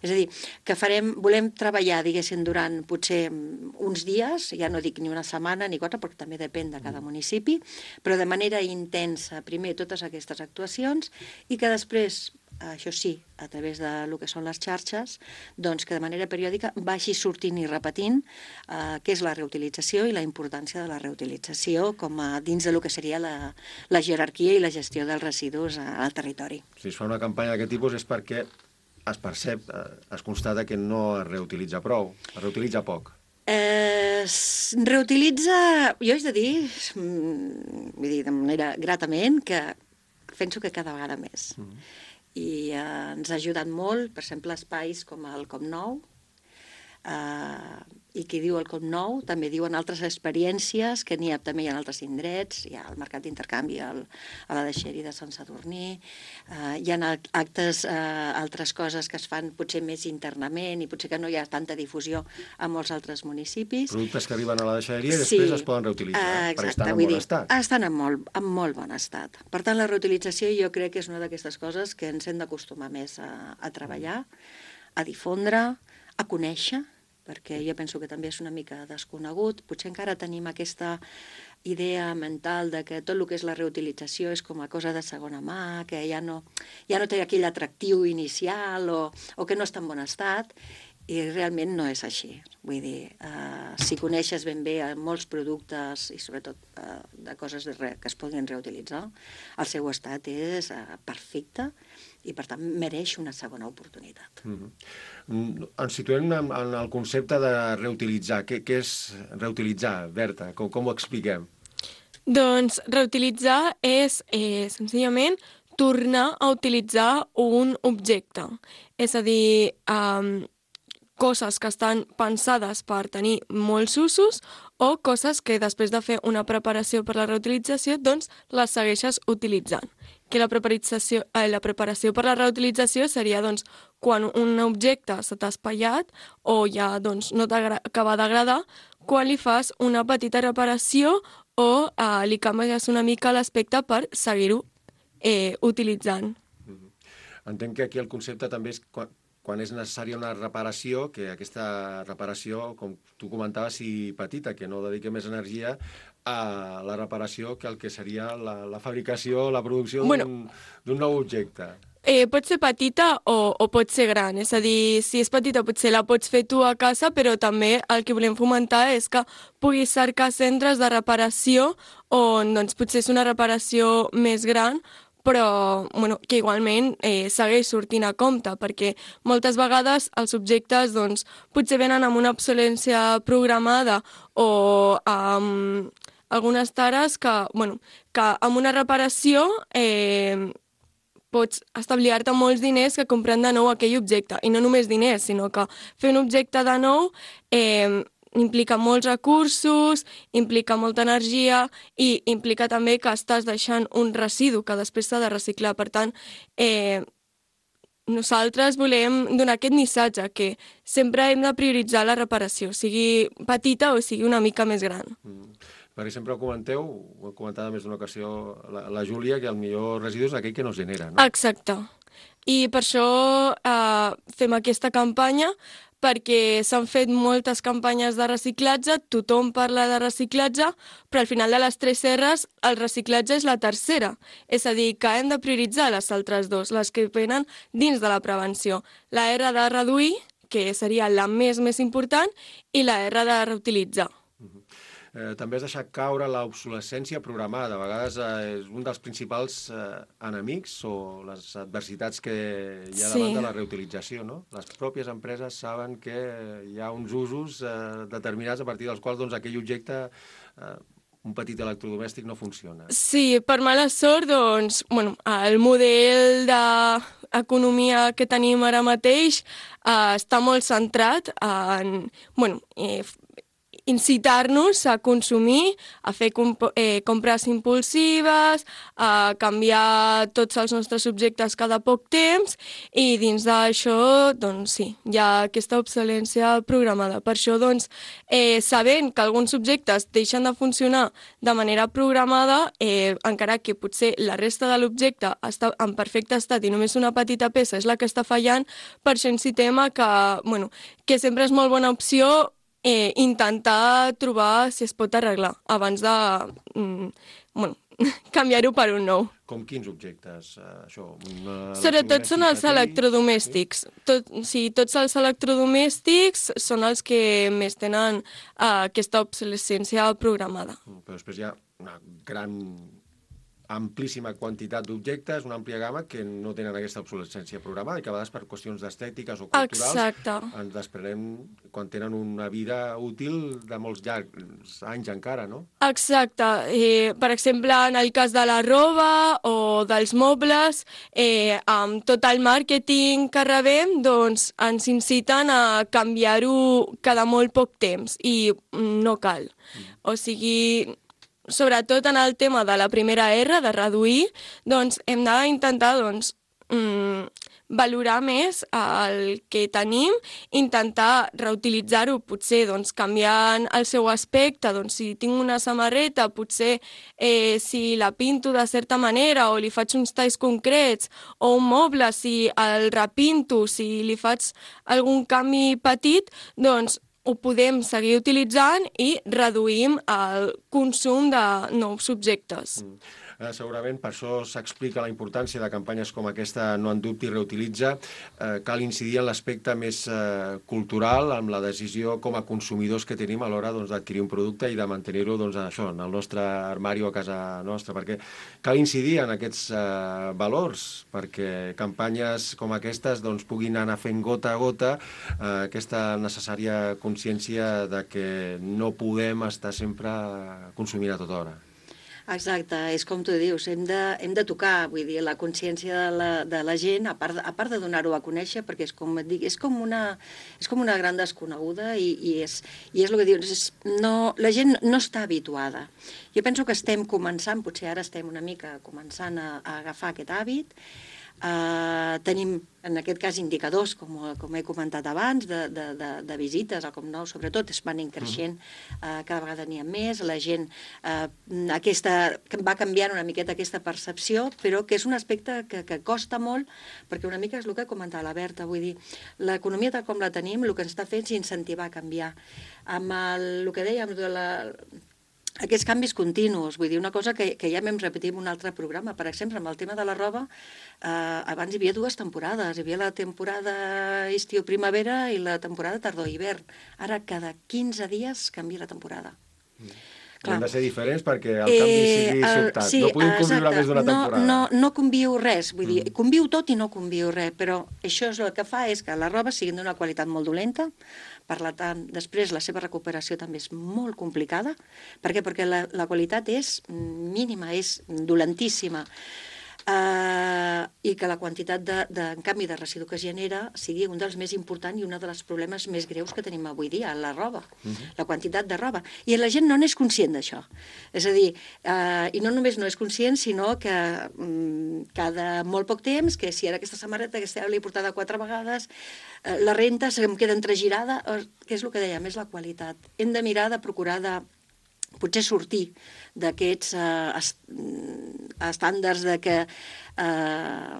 És a dir, que farem, volem treballar, diguéssim, durant potser uns dies, ja no dic ni una setmana ni quatre, perquè també depèn de cada municipi, però de manera intensa, primer, totes aquestes actuacions, i que després, això sí, a través de lo que són les xarxes, doncs que de manera periòdica vagi sortint i repetint eh, què és la reutilització i la importància de la reutilització com a dins de lo que seria la, la jerarquia i la gestió dels residus al territori. Si es fa una campanya d'aquest tipus és perquè es percep, es constata que no es reutilitza prou, es reutilitza poc. Eh, reutilitza, jo haig de dir, vull dir, de manera gratament, que penso que cada vegada més. Mm. I eh, ens ha ajudat molt, per exemple, espais com el Com Nou, eh, i qui diu el Com Nou també diuen altres experiències que n'hi ha també hi ha altres indrets, hi ha el mercat d'intercanvi al, a la Deixeri de Sant Sadurní, eh, hi ha actes, eh, altres coses que es fan potser més internament i potser que no hi ha tanta difusió a molts altres municipis. Productes que arriben a la deixeria i després sí, es poden reutilitzar, eh, perquè estan en bon dir, estat. Estan en molt, en molt bon estat. Per tant, la reutilització jo crec que és una d'aquestes coses que ens hem d'acostumar més a, a treballar, a difondre, a conèixer, perquè jo penso que també és una mica desconegut. Potser encara tenim aquesta idea mental de que tot el que és la reutilització és com a cosa de segona mà, que ja no, ja no té aquell atractiu inicial o, o que no està en bon estat, i realment no és així. Vull dir, eh, si coneixes ben bé molts productes i sobretot eh, de coses de re, que es puguin reutilitzar, el seu estat és eh, perfecte i, per tant, mereix una segona oportunitat. Mm-hmm. Ens situem en, en el concepte de reutilitzar. Què, què és reutilitzar, Berta? Com, com ho expliquem? Doncs reutilitzar és, eh, senzillament, tornar a utilitzar un objecte. És a dir, eh, coses que estan pensades per tenir molts usos o coses que després de fer una preparació per la reutilització, doncs les segueixes utilitzant. Que la preparació, eh, la preparació per la reutilització seria doncs, quan un objecte se t'ha espatllat o ja doncs, no t'acaba d'agradar, quan li fas una petita reparació o eh, li canvies una mica l'aspecte per seguir-ho eh, utilitzant. Mm-hmm. Entenc que aquí el concepte també és quan, quan és necessària una reparació, que aquesta reparació, com tu comentaves, sigui petita, que no dediqui més energia a la reparació que el que seria la, la fabricació, la producció d'un bueno, nou objecte. eh, pot ser petita o, o pot ser gran. És a dir, si és petita potser la pots fer tu a casa, però també el que volem fomentar és que puguis cercar centres de reparació on doncs, potser és una reparació més gran, però bueno, que igualment eh, segueix sortint a compte, perquè moltes vegades els objectes doncs, potser venen amb una obsolescència programada o amb algunes tares que, bueno, que amb una reparació eh, pots estalviar-te molts diners que comprant de nou aquell objecte. I no només diners, sinó que fer un objecte de nou eh, implica molts recursos, implica molta energia i implica també que estàs deixant un residu que després s'ha de reciclar. Per tant, eh, nosaltres volem donar aquest missatge que sempre hem de prioritzar la reparació, sigui petita o sigui una mica més gran. Mm. Perquè sempre ho comenteu, ho he comentat a més d'una ocasió la, la Júlia, que el millor residu és aquell que no es genera, no? Exacte. I per això eh, fem aquesta campanya, perquè s'han fet moltes campanyes de reciclatge, tothom parla de reciclatge, però al final de les tres R's el reciclatge és la tercera. És a dir, que hem de prioritzar les altres dues, les que venen dins de la prevenció. La R de reduir, que seria la més més important, i la R de reutilitzar. Eh, també has deixat caure l'obsolescència programada. A vegades eh, és un dels principals eh, enemics o les adversitats que hi ha davant Sí. de la reutilització, no? Les pròpies empreses saben que hi ha uns usos eh, determinats a partir dels quals doncs, aquell objecte, eh, un petit electrodomèstic, no funciona. Sí, per mala sort, doncs, bueno, el model d'economia que tenim ara mateix eh, està molt centrat en, bueno, eh, incitar-nos a consumir, a fer comp eh, compres impulsives, a canviar tots els nostres objectes cada poc temps i dins d'això, doncs sí, hi ha aquesta obsolescència programada. Per això, doncs, eh, sabent que alguns objectes deixen de funcionar de manera programada, eh, encara que potser la resta de l'objecte està en perfecte estat i només una petita peça és la que està fallant, per això incitem a que, bueno, que sempre és molt bona opció Eh, intentar trobar si es pot arreglar abans de mm, bueno, canviar-ho per un nou. Com quins objectes? Eh, això, una Sobretot són els electrodomèstics. Tot, sí, tots els electrodomèstics són els que més tenen eh, aquesta obsolescència programada. Però després hi ha una gran, amplíssima quantitat d'objectes, una àmplia gamma que no tenen aquesta obsolescència programada i que a vegades per qüestions d'estètiques o culturals Exacte. ens desprenem quan tenen una vida útil de molts llargs anys encara, no? Exacte. Eh, per exemple, en el cas de la roba o dels mobles, eh, amb tot el màrqueting que rebem, doncs ens inciten a canviar-ho cada molt poc temps i no cal. Mm. O sigui, sobretot en el tema de la primera R, de reduir, doncs hem d'intentar doncs, mm, valorar més el que tenim, intentar reutilitzar-ho, potser doncs, canviant el seu aspecte, doncs, si tinc una samarreta, potser eh, si la pinto de certa manera o li faig uns talls concrets, o un moble, si el repinto, si li faig algun canvi petit, doncs ho podem seguir utilitzant i reduïm el consum de nous objectes. Mm. Eh, segurament per això s'explica la importància de campanyes com aquesta No en dubti, reutilitza. Eh, cal incidir en l'aspecte més eh, cultural, amb la decisió com a consumidors que tenim a l'hora doncs, d'adquirir un producte i de mantenir-ho doncs, això, en el nostre armari o a casa nostra, perquè cal incidir en aquests eh, valors, perquè campanyes com aquestes doncs, puguin anar fent gota a gota eh, aquesta necessària consciència de que no podem estar sempre consumint a tota hora. Exacte, és com tu dius, hem de, hem de tocar, vull dir, la consciència de la, de la gent, a part, a part de donar-ho a conèixer, perquè és com et dic, és com una, és com una gran desconeguda i, i, és, i és el que dius, és, no, la gent no està habituada. Jo penso que estem començant, potser ara estem una mica començant a, a agafar aquest hàbit. Uh, tenim, en aquest cas, indicadors, com, com he comentat abans, de, de, de, de visites, o com no, sobretot es van increixent, uh, cada vegada n'hi ha més, la gent uh, aquesta, va canviant una miqueta aquesta percepció, però que és un aspecte que, que costa molt, perquè una mica és el que comentava la Berta, vull dir, l'economia tal com la tenim, el que ens està fent és incentivar a canviar. Amb el, el que dèiem de la... aquests canvis continus. Vull dir, una cosa que, que ja m'hem repetit en un altre programa. Per exemple, amb el tema de la roba, eh, abans hi havia dues temporades. Hi havia la temporada estiu-primavera i la temporada tardor-hivern. Ara, cada quinze dies canvia la temporada. Mm. Han de ser diferents perquè el canvi sigui eh, sobtat. Sí, no podem conviure exacte. més d'una temporada. No, no, no conviu res. Vull dir, conviu tot i no conviu res, però això és el que fa és que la roba sigui d'una qualitat molt dolenta. Per tant, després la seva recuperació també és molt complicada. Per què? Perquè la, la qualitat és mínima, és dolentíssima. Uh, i que la quantitat de, de, en canvi, de residu que es genera sigui un dels més importants i un dels problemes més greus que tenim avui dia, la roba, uh -huh. la quantitat de roba. I la gent no n'és conscient d'això. És a dir, uh, i no només no és conscient, sinó que um, cada molt poc temps, que si ara aquesta samarreta que l'he portada quatre vegades, uh, la renta em queda entregirada, uh, que és el que dèiem, és la qualitat. Hem de mirar de procurar de potser sortir d'aquests eh, est estàndards de que, eh,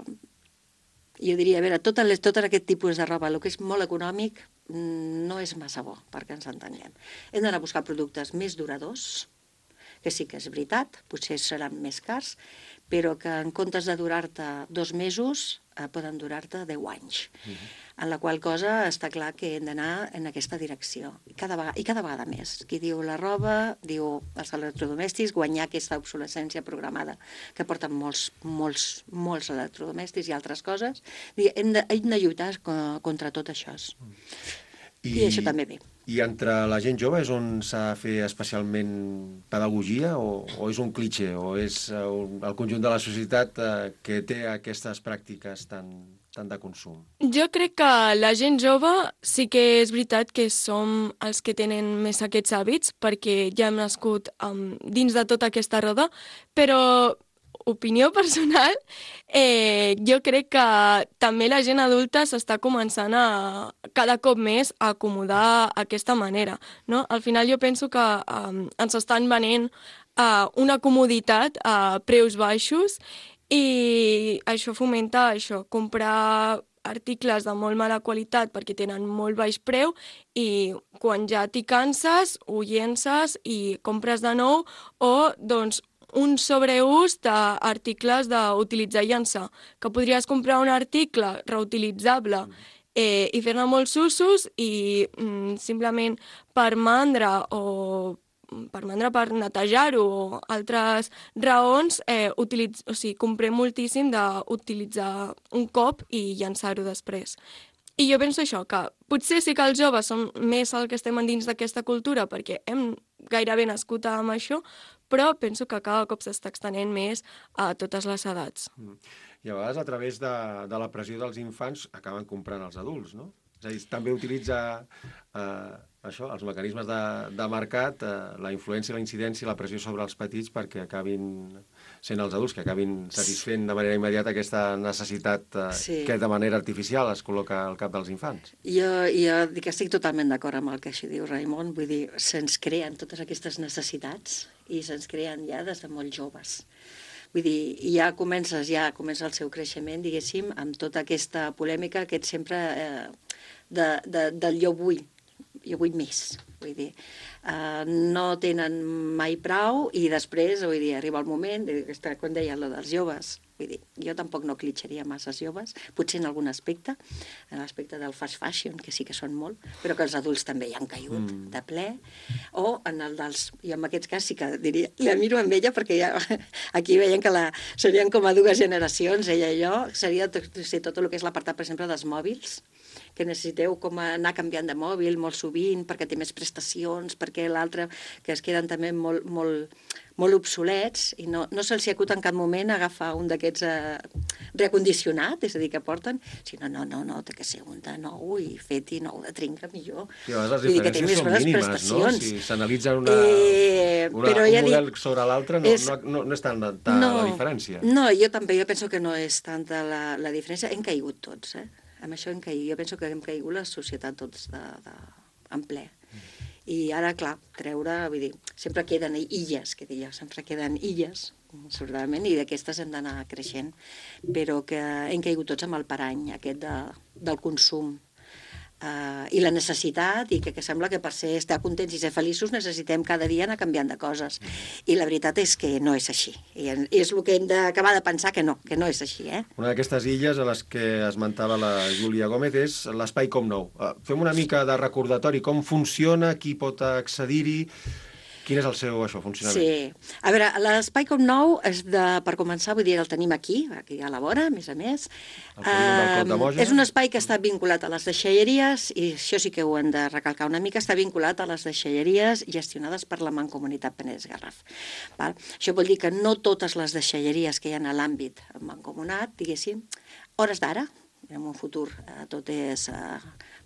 jo diria, a veure, tot, les, tot aquest tipus de roba, el que és molt econòmic, no és massa bo, perquè ens entenguem. Hem d'anar a buscar productes més duradors, que sí que és veritat, potser seran més cars, però que en comptes de durar-te dos mesos, eh, poden durar-te deu anys. Uh-huh. En la qual cosa està clar que hem d'anar en aquesta direcció. I cada, vegada, I cada vegada més. Qui diu la roba, diu els electrodomèstics, guanyar aquesta obsolescència programada que porten molts, molts, molts electrodomèstics i altres coses. Hem de, hem de lluitar contra tot això. I, I això també ve. I entre la gent jove és on s'ha de fer especialment pedagogia o, o és un cliché o és uh, el conjunt de la societat uh, que té aquestes pràctiques tan, tan de consum? Jo crec que la gent jove sí que és veritat que som els que tenen més aquests hàbits perquè ja hem nascut um, dins de tota aquesta roda, però opinió personal, eh, jo crec que també la gent adulta s'està començant a cada cop més a acomodar aquesta manera, no? Al final jo penso que um, ens estan venent uh, una comoditat a preus baixos i això fomenta això, comprar articles de molt mala qualitat perquè tenen molt baix preu i quan ja t'hi canses ho llences i compres de nou o doncs un sobreús d'articles d'utilitzar i llançar, que podries comprar un article reutilitzable eh, i fer-ne molts usos i mm, simplement per mandra o per mandra per netejar-ho o altres raons, eh, utilitz... o sigui, comprem moltíssim d'utilitzar un cop i llançar-ho després. I jo penso això, que potser sí que els joves som més el que estem dins d'aquesta cultura perquè hem gairebé nascut amb això, però penso que cada cop s'està extenent més a totes les edats. Mm. I a vegades, a través de, de la pressió dels infants, acaben comprant els adults, no? És a dir, també utilitza eh, això, els mecanismes de, de mercat, eh, la influència, la incidència i la pressió sobre els petits perquè acabin sent els adults, que acabin satisfent de manera immediata aquesta necessitat eh, sí. que de manera artificial es col·loca al cap dels infants. Jo, jo dic que estic totalment d'acord amb el que això diu Raimon, vull dir, se'ns creen totes aquestes necessitats i se'ns creen ja des de molt joves. Vull dir, ja comences, ja comença el seu creixement, diguéssim, amb tota aquesta polèmica, aquest sempre eh, de, de, del jo vull, jo vull més, vull dir, uh, no tenen mai prou i després, vull dir, arriba el moment, quan deia allò dels joves, vull dir, jo tampoc no clitxaria massa joves, potser en algun aspecte, en l'aspecte del fast fashion, que sí que són molt, però que els adults també hi han caigut mm. de ple, o en el dels, i en aquest cas sí que diria, la miro amb ella perquè ja, aquí veiem que la, serien com a dues generacions, ella i jo, seria tot, tot el que és l'apartat, per exemple, dels mòbils, que necessiteu com anar canviant de mòbil molt sovint perquè té més prestacions, perquè l'altre que es queden també molt, molt, molt obsolets i no, no se'ls acut en cap moment agafar un d'aquests eh, reacondicionat, és a dir, que porten, si no, no, no, no, té que ser un de nou i fet i nou de trinca millor. I a vegades les diferències són mínimes, no? Si s'analitza una, eh, una, un ja model dic, sobre l'altre, no, és, no, no, no és tant ta no, la diferència. No, jo també, jo penso que no és tanta la, la diferència. Hem caigut tots, eh? Amb això hem caigut. Jo penso que hem caigut la societat tots de, de, en ple. I ara, clar, treure, vull dir, sempre queden illes, que diria, sempre queden illes, sobradament, i d'aquestes hem d'anar creixent, però que hem caigut tots amb el parany aquest de, del consum. Uh, i la necessitat, i que, que sembla que per ser estar contents i ser feliços necessitem cada dia anar canviant de coses. I la veritat és que no és així. I és el que hem d'acabar de pensar que no, que no és així. Eh? Una d'aquestes illes a les que esmentava la Júlia Gómez és l'espai Com Nou. Uh, fem una mica de recordatori, com funciona, qui pot accedir-hi, quin és el seu això, funcionament? Sí. A veure, l'espai Com Nou, és de, per començar, vull dir, el tenim aquí, aquí a la vora, a més a més. El polígon del Clot de Moja. És un espai que està vinculat a les deixalleries, i això sí que ho hem de recalcar una mica, està vinculat a les deixalleries gestionades per la Mancomunitat Penedès Garraf. Val? Això vol dir que no totes les deixalleries que hi ha a l'àmbit mancomunat, diguéssim, hores d'ara, en un futur eh, tot és eh,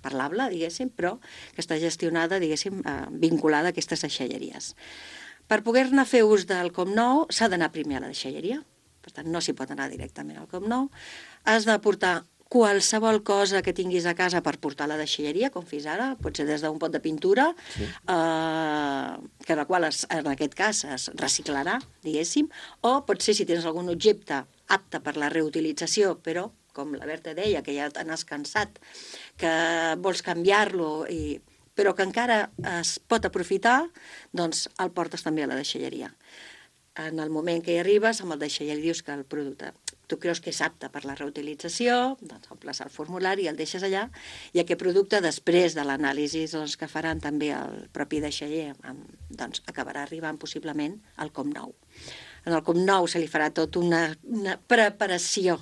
parlable, diguéssim, però que està gestionada, diguéssim, eh, vinculada a aquestes deixalleries. Per poder-ne fer ús del Com Nou s'ha d'anar primer a la deixalleria, per tant no s'hi pot anar directament al Com Nou, has de portar qualsevol cosa que tinguis a casa per portar a la deixalleria, com fins ara, pot ser des d'un pot de pintura, sí. eh, que la qual es, en aquest cas es reciclarà, diguéssim, o pot ser si tens algun objecte apte per la reutilització, però com la Berta deia, que ja t'has cansat, que vols canviar-lo, i... però que encara es pot aprofitar, doncs el portes també a la deixalleria. En el moment que hi arribes, amb el deixaller dius que el producte tu creus que és apte per la reutilització, doncs omples el formulari i el deixes allà, i aquest producte, després de l'anàlisi doncs, que faran també el propi deixaller, doncs acabarà arribant possiblement al Com Nou. En el Com Nou se li farà tota una, una preparació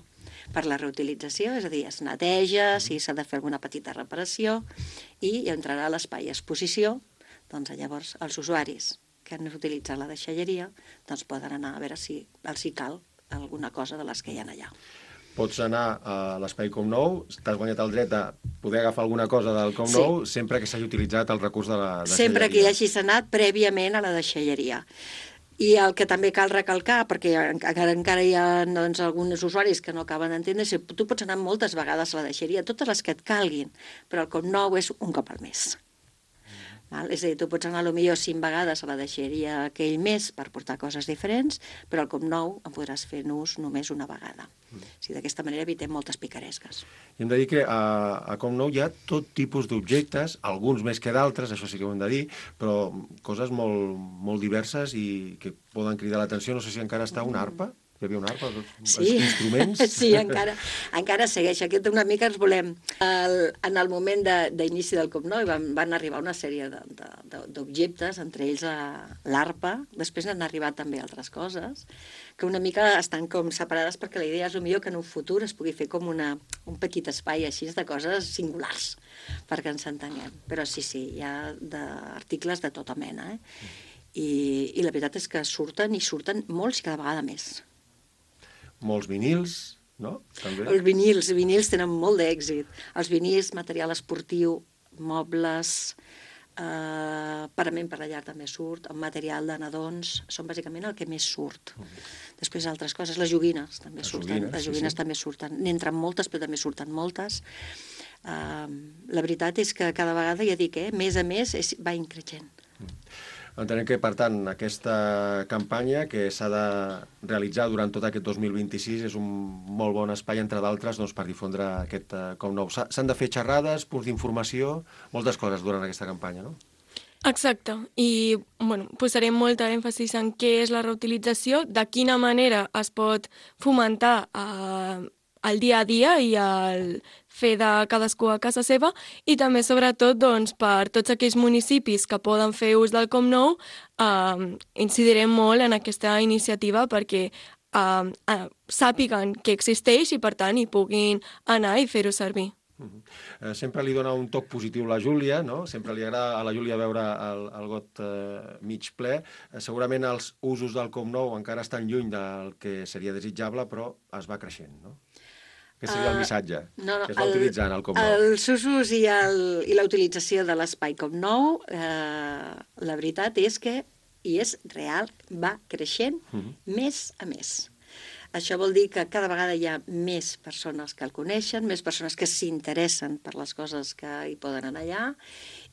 per la reutilització, és a dir, es neteja, si s'ha de fer alguna petita reparació, i entrarà a l'espai exposició, doncs llavors els usuaris que han utilitzat la deixalleria doncs poden anar a veure si els hi cal alguna cosa de les que hi ha allà. Pots anar a l'espai Com Nou, t'has guanyat el dret a poder agafar alguna cosa del Com Nou, sí, sempre que s'hagi utilitzat el recurs de la deixalleria. Sempre que hi hagis anat prèviament a la deixalleria. I el que també cal recalcar, perquè encara, encara hi ha doncs, alguns usuaris que no acaben d'entendre, és que tu pots anar moltes vegades a la deixalleria, totes les que et calguin, però el Com Nou és un cop al mes. Val? És a dir, tu pots anar potser cinc vegades a la deixalleria aquell mes per portar coses diferents, però al Com Nou en podràs fer ús només una vegada. Mm. O sigui, d'aquesta manera evitem moltes picaresques. I hem de dir que a, a Com Nou hi ha tot tipus d'objectes, alguns més que d'altres, això sí que ho hem de dir, però coses molt, molt diverses i que poden cridar l'atenció. No sé si encara està una arpa. Hi havia una arpa, els sí. instruments... Sí, encara, encara segueix. Aquest una mica ens volem... El, en el moment d'inici de, del Com Nou van, van arribar una sèrie d'objectes, entre ells l'arpa, després n'han arribat també altres coses, que una mica estan com separades perquè la idea és millor que en un futur es pugui fer com una, un petit espai així de coses singulars, perquè ens entenguem. Però sí, sí, hi ha articles de tota mena, eh? I, i la veritat és que surten i surten molts i cada vegada més. Molts vinils, no? També. Els vinils, els vinils tenen molt d'èxit. Els vinils, material esportiu, mobles, eh, parament per la llar també surt, el material de nadons, són bàsicament el que més surt. Uh -huh. Després altres coses, les joguines també les surten, joguines, les joguines sí, sí. també surten. N'entren moltes, però també surten moltes. Eh, la veritat és que cada vegada, ja dic, eh, més a més és, va increixent. Uh -huh. Entenem que, per tant, aquesta campanya que s'ha de realitzar durant tot aquest dos mil vint-i-sis és un molt bon espai, entre d'altres, doncs, per difondre aquest uh, Com Nou. S'han de fer xerrades, punts d'informació, moltes coses durant aquesta campanya, no? Exacte, i bueno, posarem molta èmfasis en què és la reutilització, de quina manera es pot fomentar eh, el dia a dia i el fer de cadascú a casa seva, i també, sobretot, doncs, per tots aquells municipis que poden fer ús del Com Nou, eh, incidirem molt en aquesta iniciativa perquè eh, eh, sàpiguen que existeix i, per tant, hi puguin anar i fer-ho servir. Uh-huh. eh, sempre li dona un toc positiu la Júlia, no? Sempre li agrada a la Júlia veure el, el got eh, mig ple. Eh, segurament els usos del Com Nou encara estan lluny del que seria desitjable, però es va creixent, no? Què seria el missatge uh, no, no, que es va el, utilitzant al Com Nou? Els usos i, el, i la utilització de l'espai Com Nou, eh, la veritat és que, i és real, va creixent uh-huh. més a més. Això vol dir que cada vegada hi ha més persones que el coneixen, més persones que s'interessen per les coses que hi poden anar allà,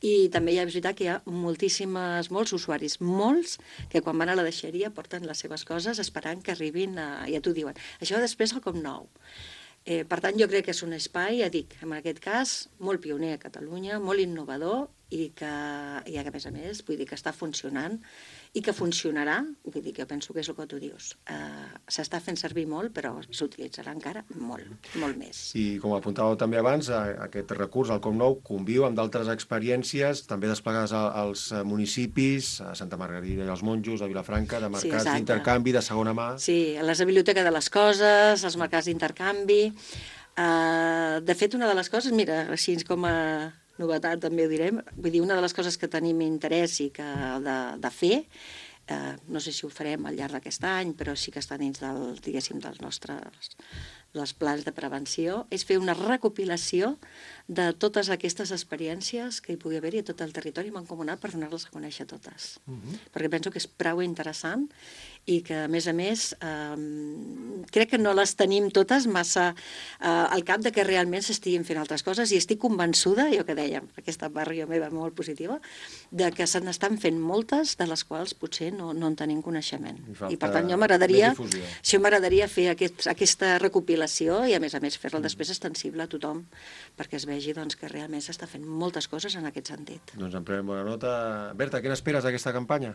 i també hi ha, és veritat que hi ha moltíssimes, molts usuaris, molts, que quan van a la deixalleria porten les seves coses esperant que arribin, a, ja t'ho diuen. Això després al Com Nou. Eh, per tant, jo crec que és un espai, ja dic, en aquest cas, molt pioner a Catalunya, molt innovador i que, i que a més a més, vull dir que està funcionant i que funcionarà, vull dir que jo penso que és el que tu dius. Uh, S'està fent servir molt, però s'utilitzarà encara molt, molt més. I com apuntàveu també abans, aquest recurs, el Com Nou, conviu amb d'altres experiències, també desplegades als municipis, a Santa Margarida i als Monjos, a Vilafranca, de mercats Sí, d'intercanvi, de segona mà... Sí, a la biblioteca de les coses, als mercats d'intercanvi... Uh, de fet, una de les coses, mira, així com a novetat també ho direm, vull dir, una de les coses que tenim interès i que de, de fer, uh, no sé si ho farem al llarg d'aquest any, però sí que està dins del, diguéssim, dels nostres dels plans de prevenció, és fer una recopilació de totes aquestes experiències que hi pugui haver-hi a tot el territori mancomunat per donar-les a conèixer totes. Uh-huh. Perquè penso que és prou interessant i que, a més a més, eh, crec que no les tenim totes massa eh, al cap de que realment s'estiguin fent altres coses i estic convençuda, jo que dèiem, aquesta barria meva molt positiva, de que se n'estan fent moltes de les quals potser no, no en tenim coneixement. I, I per tant, jo m'agradaria si m'agradaria fer aquest, aquesta recopilació i, a més a més, fer-la després extensible a tothom perquè es vegi doncs, que realment s'està fent moltes coses en aquest sentit. Doncs en prenem bona nota. Berta, què n'esperes d'aquesta campanya?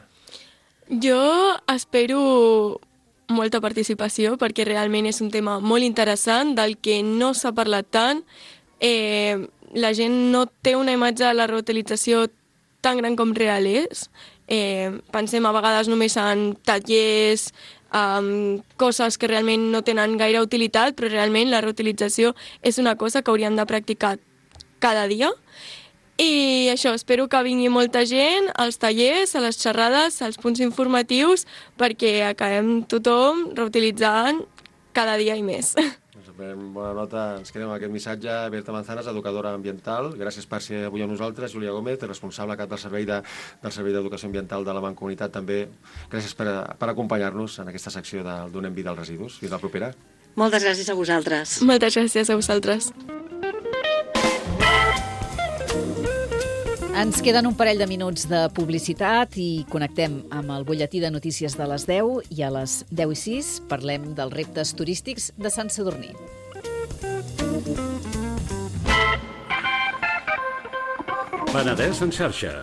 Jo espero molta participació perquè realment és un tema molt interessant del que no s'ha parlat tant. Eh, la gent no té una imatge de la reutilització tan gran com real és. Eh, pensem a vegades només en tallers, um, coses que realment no tenen gaire utilitat, però realment la reutilització és una cosa que hauríem de practicar cada dia. I això, espero que vingui molta gent als tallers, a les xerrades, als punts informatius, perquè acabem tothom reutilitzant cada dia i més. Doncs en bona nota, ens quedem amb aquest missatge. Berta Manzanas, educadora ambiental. Gràcies per ser avui amb nosaltres. Júlia Gómez, responsable cap del Servei de, del Servei d'Educació Ambiental de la Mancomunitat, també. Gràcies per, per acompanyar-nos en aquesta secció de Donem vida als residus. Fins la propera. Moltes gràcies a vosaltres. Moltes gràcies a vosaltres. Ens queden un parell de minuts de publicitat i connectem amb el butlletí de notícies de les deu i a les deu i sis parlem dels reptes turístics de Sant Sadurní. Penedès en xarxa.